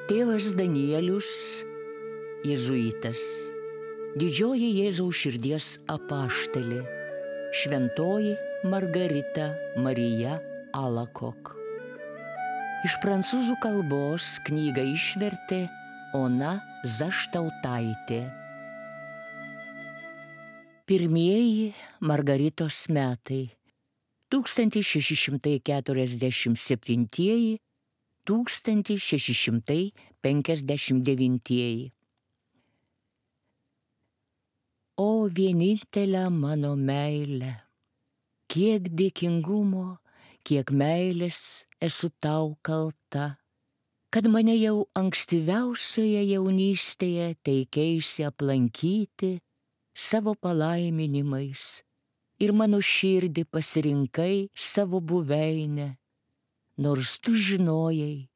Tėvas Danielius, jėzuitas, didžioji Jėzaus širdies apaštalė, šventoji Margarita Marija Alacoque. Iš prancūzų kalbos knygą išvertė Ona Zaštautaitė. Pirmieji Margaritos metai 1647–1659. O vienintelė mano meilė, kiek dėkingumo, kiek meilės esu tau kalta, kad mane jau ankstyviausioje jaunystėje teikeisi aplankyti savo palaiminimais ir mano širdį pasirinkai savo buveinę, nors tu žinojai,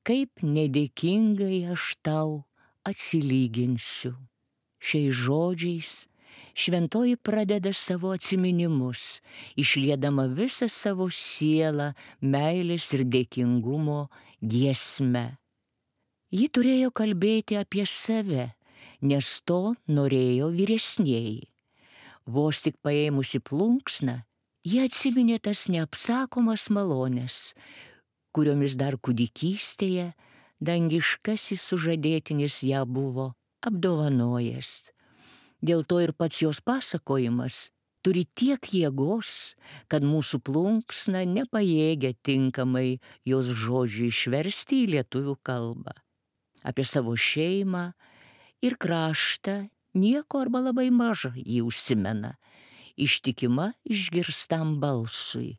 kaip nedėkingai aš tau atsilyginsiu. Šiais žodžiais šventoji pradeda savo atsiminimus, išliedama visą savo sielą meilės ir dėkingumo giesme. Ji turėjo kalbėti apie save, nes to norėjo vyresnieji. Vos tik paėmusi plunksną, ji atsiminė tas neapsakomas malonės, kuriomis dar kūdikystėje dangiškasis sužadėtinis ją buvo apdovanojęs. Dėl to ir pats jos pasakojimas turi tiek jėgos, kad mūsų plunksna nepajėgia tinkamai jos žodžių išversti į lietuvių kalbą. Apie savo šeimą ir kraštą nieko arba labai maža jį užsimena, ištikima išgirstam balsui.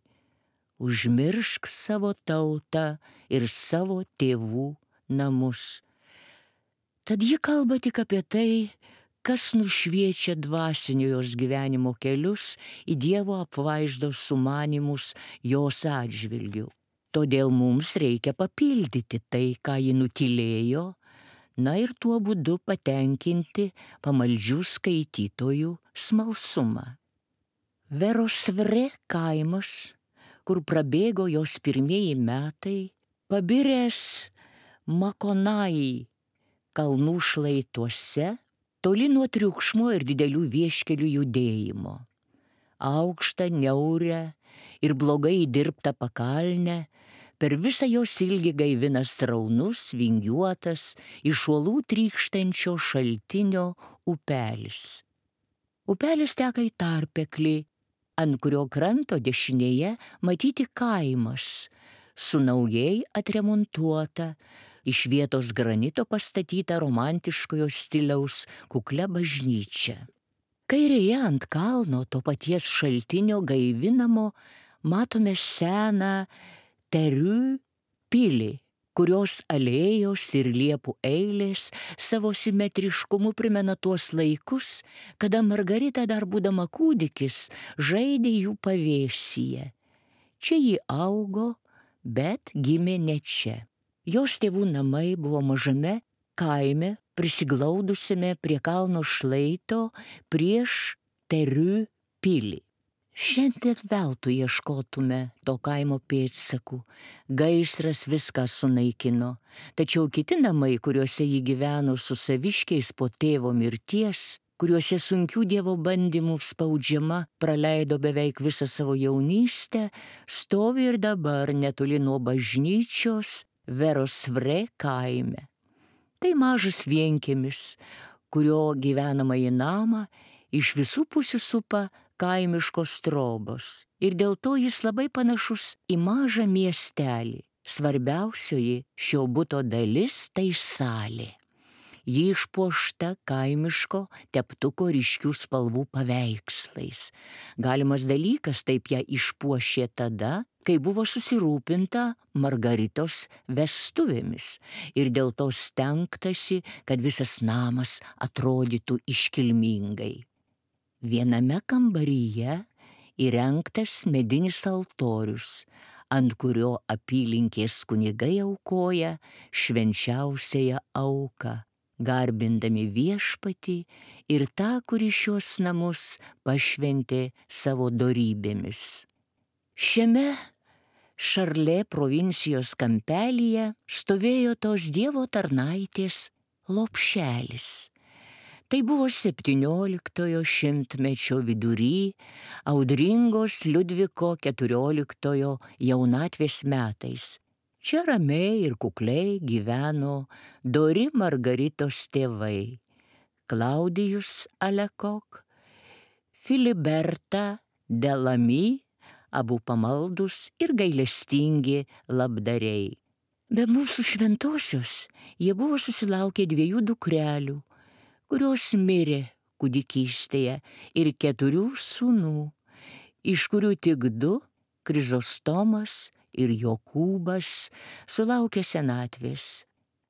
Užmiršk savo tautą ir savo tėvų namus. Tad ji kalba tik apie tai, kas nušviečia dvasinio jos gyvenimo kelius į Dievo apvaizdos sumanymus jos atžvilgiu. Todėl mums reikia papildyti tai, ką ji nutylėjo, na ir tuo būdu patenkinti pamaldžių skaitytojų smalsumą. Verosvre kaimas, kur prabėgo jos pirmieji metai, pabiręs Makonai kalnų šlaituose, toli nuo triukšmo ir didelių vieškelių judėjimo. Aukštą, niaurę ir blogai dirbtą pakalnę, per visą jos ilgį gaivina sraunus, vingiuotas, iš uolų trykštančio šaltinio upelis. Upelis teka į tarpeklį, ant kurio kranto dešinėje matyti kaimas, su naujai atremontuota, iš vietos granito pastatyta romantiškojo stiliaus kuklia bažnyčia. Kairėje ant kalno to paties šaltinio gaivinamo matome seną Teriu pilį, kurios alėjos ir liepų eilės savo simetriškumu primena tuos laikus, kada Margarita dar būdama kūdikis žaidė jų pavėsyje. Čia ji augo, bet gimė ne čia. Jos tėvų namai buvo mažame kaime, prisiglaudusiame prie kalno šlaito prieš Teriu pilį. Šiandien veltui ieškotume to kaimo pėdsakų, gaisras viską sunaikino, tačiau kiti namai, kuriuose ji gyveno su saviškiais po tėvo mirties, kuriuose sunkių Dievo bandymų spaudžiama praleido beveik visą savo jaunystę, stovi ir dabar netoli nuo bažnyčios Verosvre kaime. Tai mažas vienkiemis, kurio gyvenamąjį namą iš visų pusių supa kaimiškos trobos ir dėl to jis labai panašus į mažą miestelį. Svarbiausioji šio buto dalis tai salė. Ji išpuošta kaimiško teptuko ryškių spalvų paveikslais. Galimas dalykas, taip ją išpuošė tada, kai buvo susirūpinta Margaritos vestuvėmis ir dėl to stengtasi, kad visas namas atrodytų iškilmingai. Viename kambaryje įrengtas medinis altorius, ant kurio apylinkės kunigai aukoja švenčiausiąją auką, garbindami Viešpatį ir tą, kuris šios namus pašventė savo dorybėmis. Šiame Šarlė provincijos kampelyje stovėjo tos dievo tarnaitės lopšelis. Tai buvo 17 šimtmečio vidury, audringos Liudviko XIV jaunatvės metais. Čia ramiai ir kukliai gyveno dori Margaritos tėvai – Klaudijus Alekok, Filiberta Delamy, abu pamaldus ir gailestingi labdariai. Be mūsų šventosios jie buvo susilaukę 2 dukrelių, kurios mirė kūdikystėje, ir 4 sūnų, iš kurių tik 2, Krizostomas ir Jokūbas, sulaukė senatvės.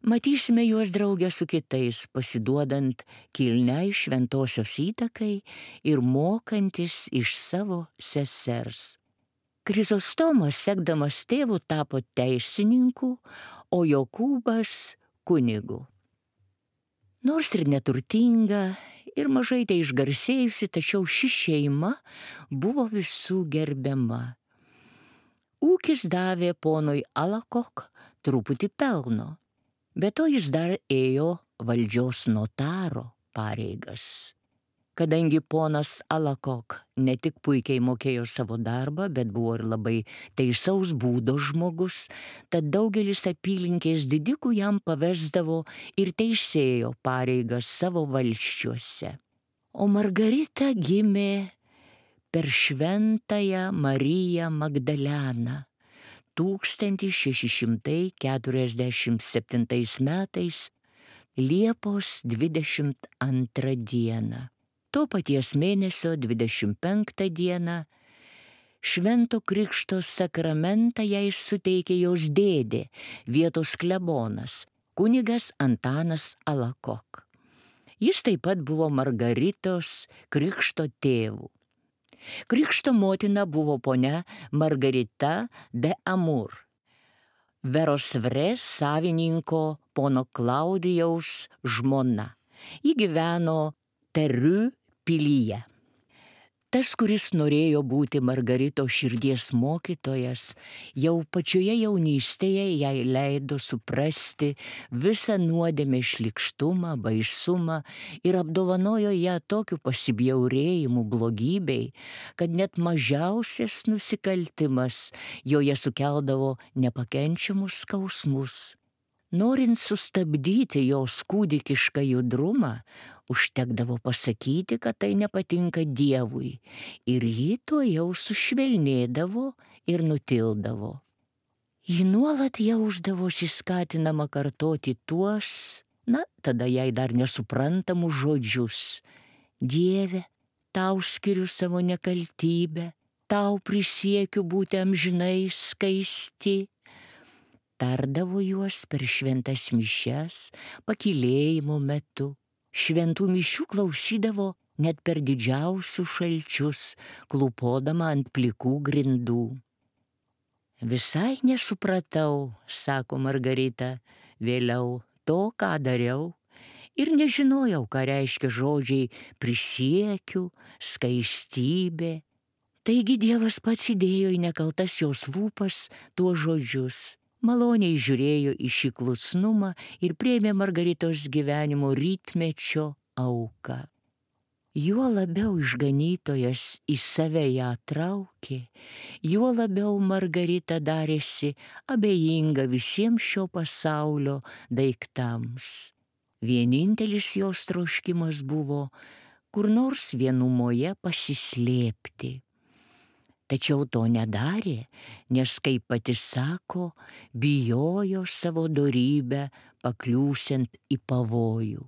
Matysime juos drauge su kitais, pasiduodant kilniai šventosios įtakai ir mokantis iš savo sesers. Krizostomas, sekdamas tėvu, tapo teisininku, o Jokūbas kunigu. Nors ir neturtinga, ir mažai tai išgarsėjusi, tačiau ši šeima buvo visų gerbiama. Ūkis davė ponui Alakok truputį pelno, bet to jis dar ėjo valdžios notaro pareigas. Kadangi ponas Alakok ne tik puikiai mokėjo savo darbą, bet buvo ir labai teisaus būdo žmogus, tad daugelis apylinkės didikų jam pavesdavo ir teisėjo pareigas savo valsčiuose. O Margarita gimė per Šventąją Mariją Magdaleną 1647 metais Liepos 22 dieną. To paties mėnesio 25 dieną Švento Krikšto sakramentą jai suteikė jos dėdė, vietos klebonas, kunigas Antanas Alakok. Jis taip pat buvo Margaritos krikšto tėvu. Krikšto motina buvo ponia Margarita de Amur, Verosvres savininko pono Klaudijaus žmona. Ji gyveno Teriu pilyje. Tas, kuris norėjo būti Margaritos širdies mokytojas, jau pačioje jaunystėje jai leido suprasti visą nuodėmės šlykštumą, baisumą ir apdovanojo ją tokiu pasibjaurėjimu blogybei, kad net mažiausias nusikaltimas joje sukeldavo nepakenčiamus skausmus. Norint sustabdyti jos kūdikišką judrumą, užtekdavo pasakyti, kad tai nepatinka Dievui, ir ji to jau sušvelnėdavo ir nutildavo. Ji nuolat jausdavosi skatinama kartoti tuos, tada jai dar nesuprantamus žodžius: Dieve, tau skiriu savo nekaltybę, tau prisiekiu būti amžinai skaisti. Tardavo juos per šventas mišias, pakylėjimo metu. Šventų mišių klausydavo net per didžiausius šalčius, klūpodama ant plikų grindų. Visai nesupratau, sako Margarita, vėliau to, ką dariau, ir nežinojau, ką reiškia žodžiai prisiekiu, skaistybė. Taigi Dievas pats įdėjo į nekaltas jos lūpas tuos žodžius. Maloniai žiūrėjo į šį klusnumą ir priėmė Margaritos gyvenimo rytmečio auką. Juo labiau išganytojas į save ją traukė, juo labiau Margarita darėsi abejinga visiems šio pasaulio daiktams. Vienintelis jos troškimas buvo kur nors vienumoje pasislėpti. Tačiau to nedarė, nes, kaip pati sako, bijojo savo dorybę pakliūsiant į pavojų.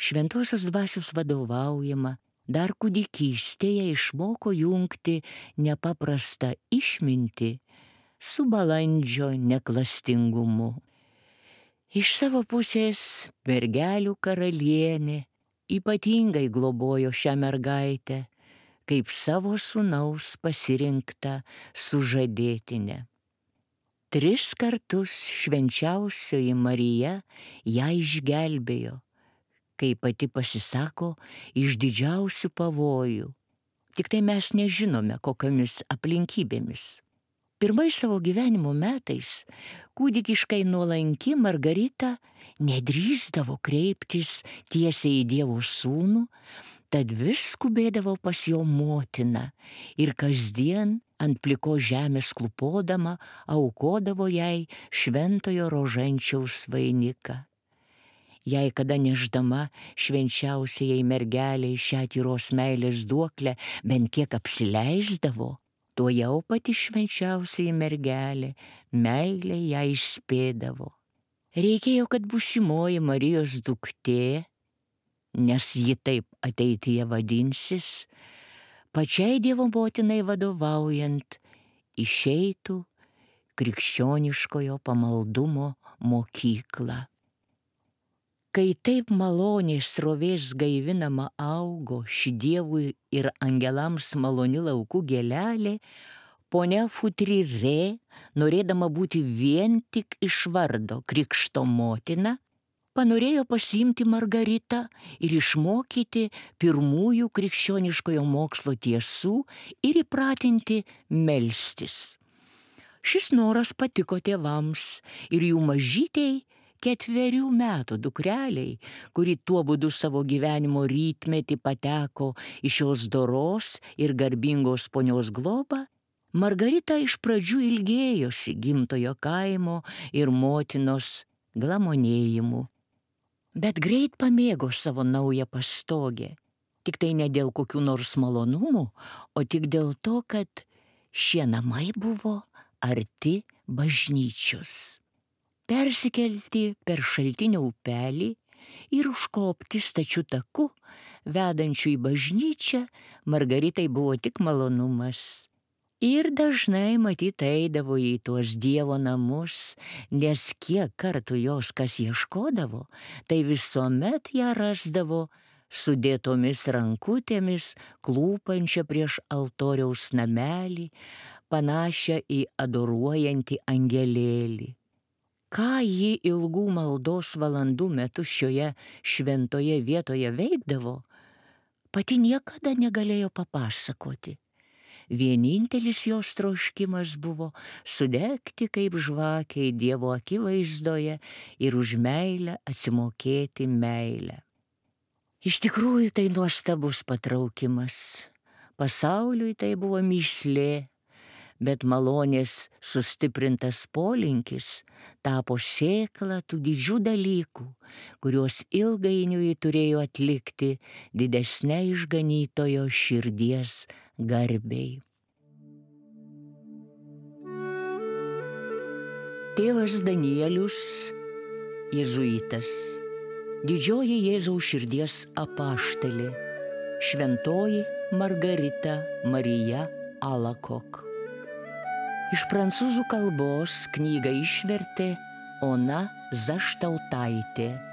Šventosios dvasios vadovaujama dar kūdikystėje išmoko jungti nepaprastą išmintį su balandžio neklastingumu. Iš savo pusės mergelių karalienė ypatingai globojo šią mergaitę, kaip savo sūnaus pasirinktą sužadėtinę. 3 kartus švenčiausioji Marija ją išgelbėjo, kaip pati pasisako, iš didžiausių pavojų. Tik tai mes nežinome, kokiomis aplinkybėmis. Pirmais savo gyvenimo metais kūdikiškai nuolanki Margarita nedrįsdavo kreiptis tiesiai į Dievo sūnų, tad vis skubėdavo pas jo motiną ir kasdien ant plikos žemės klupodama aukodavo jai šventojo rožančiaus vainiką. Jei kada nešdama švenčiausiajai mergeliai šią tyros meilės duoklę bent kiek apsileisdavo, tuo jau pati švenčiausiai mergelė meilę ją išspėdavo. Reikėjo, kad būsimoji Marijos duktė, nes ji taip ateityje vadinsis, pačiai Dievo motinai vadovaujant išeitų krikščioniškojo pamaldumo mokyklą. Kai taip maloniai srovės gaivinama augo ši Dievui ir angelams maloni laukų gėlelė, ponia Futrirė, norėdama būti vien tik iš vardo krikšto motina, panorėjo pasiimti Margaritą ir išmokyti pirmųjų krikščioniškojo mokslo tiesų ir įpratinti melstis. Šis noras patiko tėvams ir jų mažytei 4 metų dukreliai, kuri tuo būdu savo gyvenimo rytmetį pateko į šios doros ir garbingos ponios globą, Margarita iš pradžių ilgėjosi gimtojo kaimo ir motinos glamonėjimų. Bet greit pamėgo savo naują pastogę, tik tai ne dėl kokių nors malonumų, o tik dėl to, kad šie namai buvo arti bažnyčios. Persikelti per šaltinio upelį ir užkopti stačiu taku, vedančiu į bažnyčią, Margaritai buvo tik malonumas. Ir dažnai matyt eidavo į tuos Dievo namus, nes kiek kartų jos kas ieškodavo, tai visuomet ją rasdavo sudėtomis rankutėmis, klūpančią prieš altoriaus namelį, panašią į adoruojantį angelėlį. Ką ji ilgų maldos valandų metu šioje šventoje vietoje veikdavo, pati niekada negalėjo papasakoti. Vienintelis jos troškimas buvo sudegti kaip žvakiai Dievo akivaizdoje ir už meilę atsimokėti meilę. Iš tikrųjų tai nuostabus patraukimas. Pasauliui tai buvo mįslė, bet malonės sustiprintas polinkis tapo sėkla tų didžių dalykų, kuriuos ilgainiui turėjo atlikti didesnė išganytojo širdies garbei. Tėvas Danielius, jėzuitas, didžioji Jėzaus širdies apaštalė, šventoji Margarita Marija Alakok. Iš prancūzų kalbos knygą išvertė Ona Zaštautaitė.